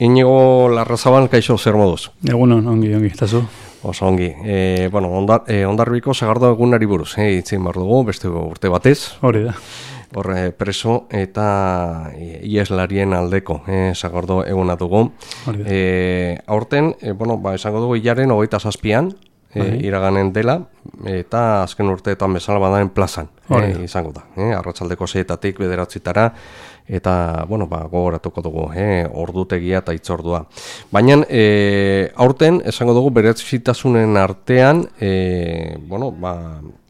Inigo Larrazabal, kaixo, zer moduz? Egunon, ongi, tazu. Oso ongi. Hondarribiko sagardo egunari buruz, itzin behar dugu, beste urte batez. Hori da. Horre preso eta ieslarien aldeko sagardo eguna dugu. Aurten, esango dugu hilaren 27an, iraganen dela, eta azken urteetan bezala badaren plazan izango da. Arratsaldeko 6etatik 9etara, eta gogoratuko dugu ordutegia eta hitzordua. Baina aurten esango dugu berezitasunen artean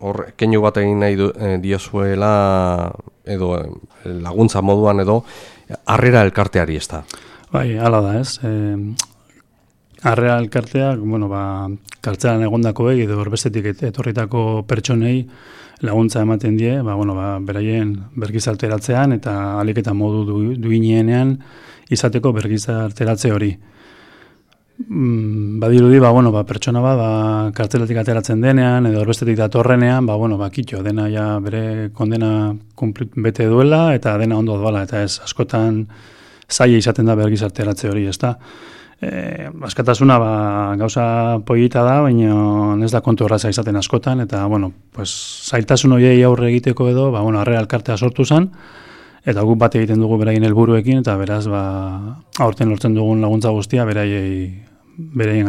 hor keinu bat egin nahi diozuela edo laguntza moduan edo harrera elkarteari ez da. Bai, hala da ez. Harrera elkarteak, kartzelan egondakoei edo horbestetik etorritako pertsonei laguntza ematen die, beraien bergizarteratzean eta ahalik eta modu duinenean izateko bergizarteratze hori. Badirudi, pertsona kartzelatik ateratzen denean edo horbestetik datorrenean, kitxo, dena ja bere kondena bete duela eta dena ondo doala, eta ez askotan zaila izaten da bergizarteratze hori, ez da. Askatasuna gauza polita da, baina ez da kontu horraza izaten askotan, eta zailtasun horiei aurre egiteko edo, harrera elkartea sortu zen, eta guk bat egiten dugu beraien helburuekin, eta beraz, aurten lortzen dugun laguntza guztia beraien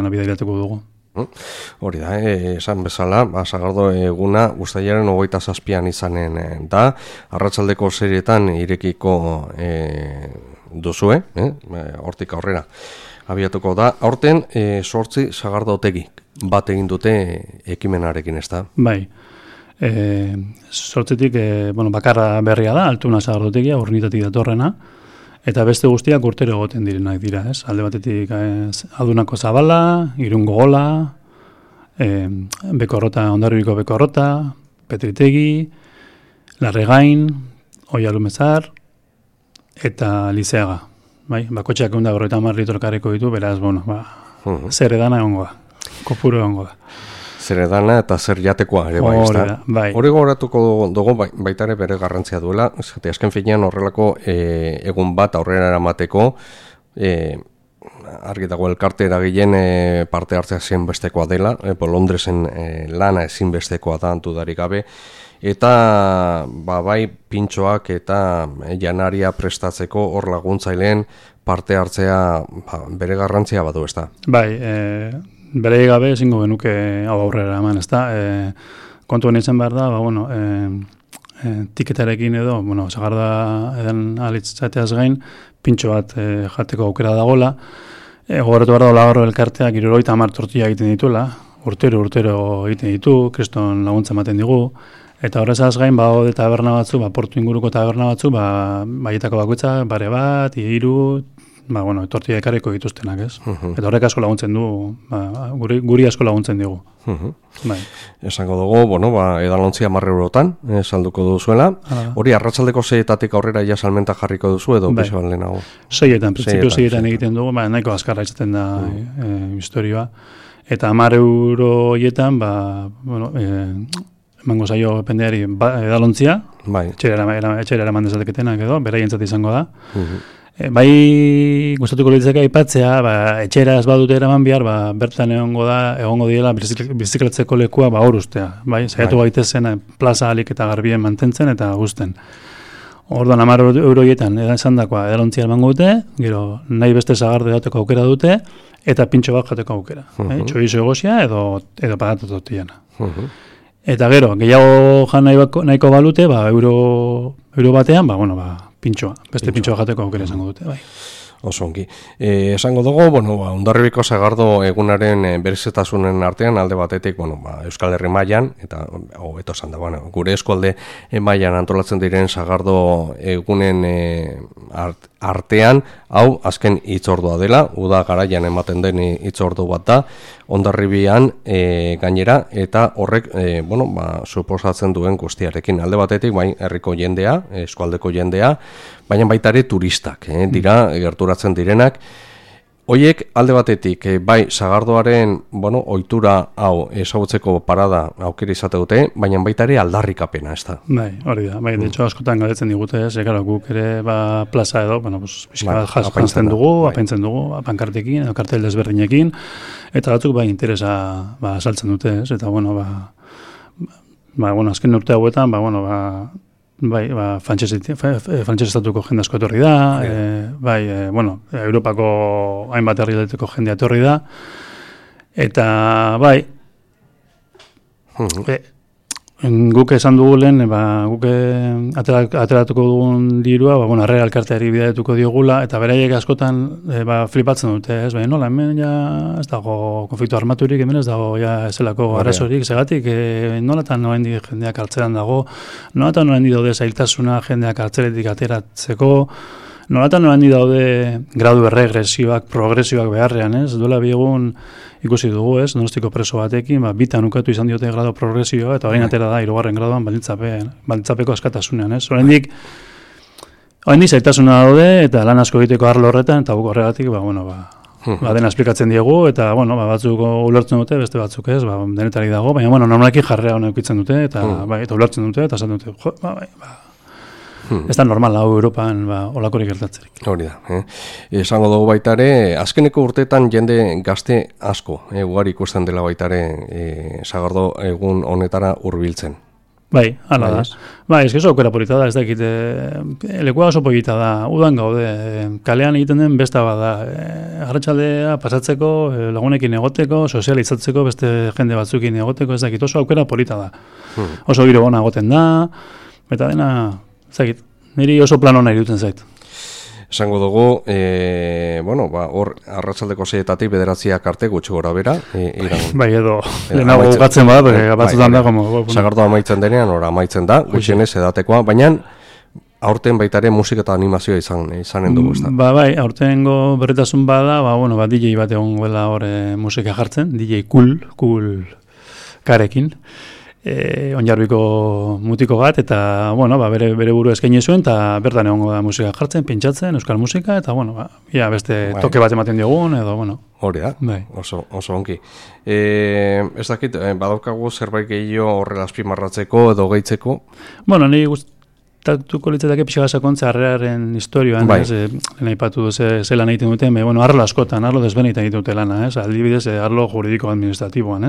gana bidairatuko dugu. Hori da, esan bezala, sagardo eguna uztailaren 27an izanen da, arratsaldeko serietan irekiko duzue, hortik aurrera. Abiatuko da, aurten 8 sagardotegi bat egin dute ekimenarekin, ez da? Bai, 8tik bakarra berria da, Altuna sagardotegia, Urnitatik datorrena, eta beste guztiak urtero egoten direnak dira, ez? Alde batetik Adunako Zabala, Irungo Gola, Hondarribiko Bekorrota, Petritegi, Larregain, Oialumezar, eta Lizeaga. Bai, bakotxeak 150 litro kareko ditu, beraz, zer edana egongo da, kopuru egongo da. Zer edana eta zer jatekoa ere bai, ez da. Hori gogoratuko dugu baita ere bere garrantzia duela, azken finean horrelako egun bat aurrera eramateko, argi dago elkarte eragileen parte hartzea ezinbestekoa dela, Londresen lana ezinbestekoa da dudarik gabe, eta bai pintxoak eta janaria prestatzeko hor laguntzaileen parte hartzea bere garrantzia badu, ez da? Bai, bere gabe ezingo genuke hau aurrera eman, ez da? Kontu honetzen behar da, tiketarekin edo, sagarda edan alitzateaz gain, pintxo bat jateko aukera dagoela, gogoratu behar da Olagorro elkarteak 70 tortilla egiten dituela, urtero egiten ditu, kriston laguntza ematen digu, eta horrezaz gain, hode taberna batzu, portu inguruko taberna batzu, baietako bakoitza, bare bat, 3, tortilla ekarriko dituztenak, ez? Eta horrek asko laguntzen du, guri asko laguntzen digu. Esango dugu, edalontzia 10 eurotan, salduko duzuela. Hori, arratsaldeko 6etatik aurrera ja salmenta jarriko duzu, edo pixo lehenago? 6etan, printzipio 6etan egiten dugu, nahiko azkarra izaten da historioa. Eta 10 euroietan, emango zaio pendeari edalontzia, etxera eraman dezateketenak edo, beraientzat izango da. Gustatuko litzake aipatzea, etxera ez badute eraman behar, bertan egongo diela biziklatzeko lekua hor ustea. Zaiatu gaitezen plaza alik eta garbien mantentzen eta guzten. Orduan 10 euroietan esan dakoa edalontzia emango dute, gero nahi beste sagardo dateko aukera dute, eta pintxo bat jateko aukera. Txorizo egosia edo patata tortillana. Eta gero, gehiago jan nahiko balute, euro batean, pintxoa, beste pintxoa jateko aukera esango dute, bai. Oso ongi. Esango dugu, Hondarribiko sagardo egunaren berezitasunen artean, alde batetik, Euskal Herri mailan, eta hobeto esan da, gure eskualde mailan antolatzen diren sagardo egunen artean, hau azken hitzordua dela, uda garaian ematen den hitzordu bat da, Hondarribian gainera, eta horrek, suposatzen duen guztiarekin. Alde batetik, herriko jendea, eskualdeko jendea, baina baita ere turistak, dira, gerturatzen direnak, Hoiek alde batetik, bai, sagardoaren, ohitura hau ezagutzeko parada aukera izate dute, baina baita ere aldarrikapena, ez da? Bai, hori da. Bai, de hecho, askotan galdetzen digute, guk ere plaza edo, pixka jantzen dugu, apaintzen dugu, pankartekin, edo kartel desberdinekin, eta batzuk interesa saltzen dute, ez? Eta, azken urte hauetan, frantsesestatuko jende asko etorri da, Europako hainbat herrialdeteko jendea etorri da, eta guk esan dugu lehen, guk ateratuko dugun dirua, Harrera Elkarteari bidaituko diogula, eta beraiek askotan flipatzen dute, ez? Nola, hemen ja ez dago konflikto armaturik, hemen ez dago ja ezelako arazorik, segatik, nolatan norendik jendeak hartzeran dago, nolatan norendik daude zailtasuna jendeak hartzeretik ateratzeko, nolatan norendik daude gradu erregresioak, progresioak beharrean, ez? Duela biegun ikusi dugu, ez? Donostiko preso batekin, bitan ukatu izan diote grado progresioa, eta orain atera da, 3. graduan baldintzapeko askatasunean, ez? Oraindik zailtasuna daude, eta lan asko egiteko arlo horretan, eta guk horregatik, dena esplikatzen diegu, eta, batzuk ulertzen dute, beste batzuk ez, denetarik dago, baina, normalki jarrea hona eukitzen dute, eta ulertzen dute, eta esan dute, ez da normal hau Europan olakorik gertatzerik. Hori da. Esango dugu baita ere, azkeneko urteetan jende gazte asko, ugari ikusten dela baita ere, sagardo egun honetara hurbiltzen. Bai, hala da. Bai, ez aukera polita da, ez dakit, lekua oso polita da, udan gaude, kalean egiten den besta bada, arratsaldea pasatzeko, lagunekin egoteko, sozializatzeko, beste jende batzukin egoteko, ez dakit, oso aukera polita da. Oso giro bona egoten da, eta dena, zagit, niri oso plan hona irutzen zait. Esango dugu, hor arratsaldeko 6etatik 9 arte gutxi gora bera. Bai, edo, lehenago gatzen bada, batzutan da, sagardoa amaitzen denean, amaitzen da, gutxienez edatekoa, baina aurten baita ere musika eta animazioa izanen dugu, ez da? Bai, aurtengo berritasun bada, DJ bat egon goela hor musika jartzen, DJ cool karekin. Onjarbiko mutiko bat, eta, bere buru eskaini zuen, eta bertan egongo da musika jartzen, pintxatzen, euskal musika, eta, beste toke bat ematen diogun, edo, Hori da, oso onki. Ez dakit, badaukagu zerbait gehiago horrela azpimarratzeko edo gehitzeko? Niri gustatuko litzateke pixka sakontza Harreraren historioan, lehen aipatu zelan egiten duten, arlo askotan, arlo desbenitan egiten dute lana, aldibidez, arlo juridiko administratiboan,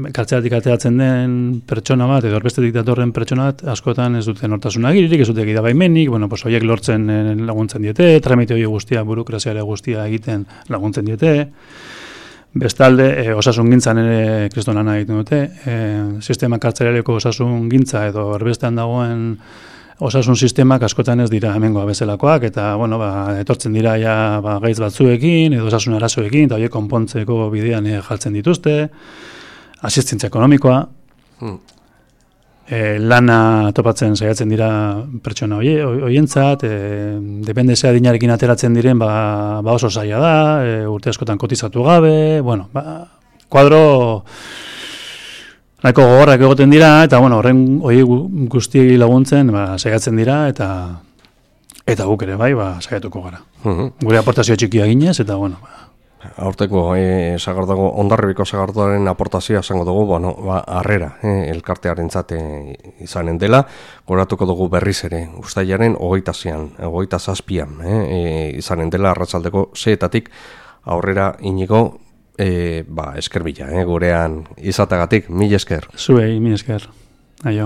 kartzelatik ateratzen den pertsona bat, edo orbestetik datorren pertsona bat, askotan ez duten hortasun agiririk, ez dute da baimenik, horiek lortzen laguntzen diete, tramite hori guztia, burokraziare guztia egiten laguntzen diete, bestalde, osasun gintzan ere kristonana egiten dute, sistema kartzelareko osasun gintza edo erbestean dagoen osasun sistemak askotan ez dira hemengoa bezalakoak, eta, etortzen dira ja gaitz batzuekin, edo osasun arazoekin, eta horiek konpontzeko bidean jartzen dituzte, asistentza ekonomikoa, lana topatzen saiatzen dira pertsona horientzat, dependezia dinarekin ateratzen diren, oso zaila da, urte askotan kotizatu gabe, kuadro nahiko gogorrak egoten dira, eta horren hori guzti laguntzen saiatzen dira, eta guk ere saiatuko gara. Gure aportazio txikia ginez, eta aurteko Hondarribiko sagardoaren aportazioa esango dugu, Harrera elkartearentzat izanen dela, goratuko dugu berriz ere, uztailaren 27an izanen dela arratsaldeko 6etatik aurrera Inigo, esker bila, gurean izatagatik, mil esker. Zuei, mil esker.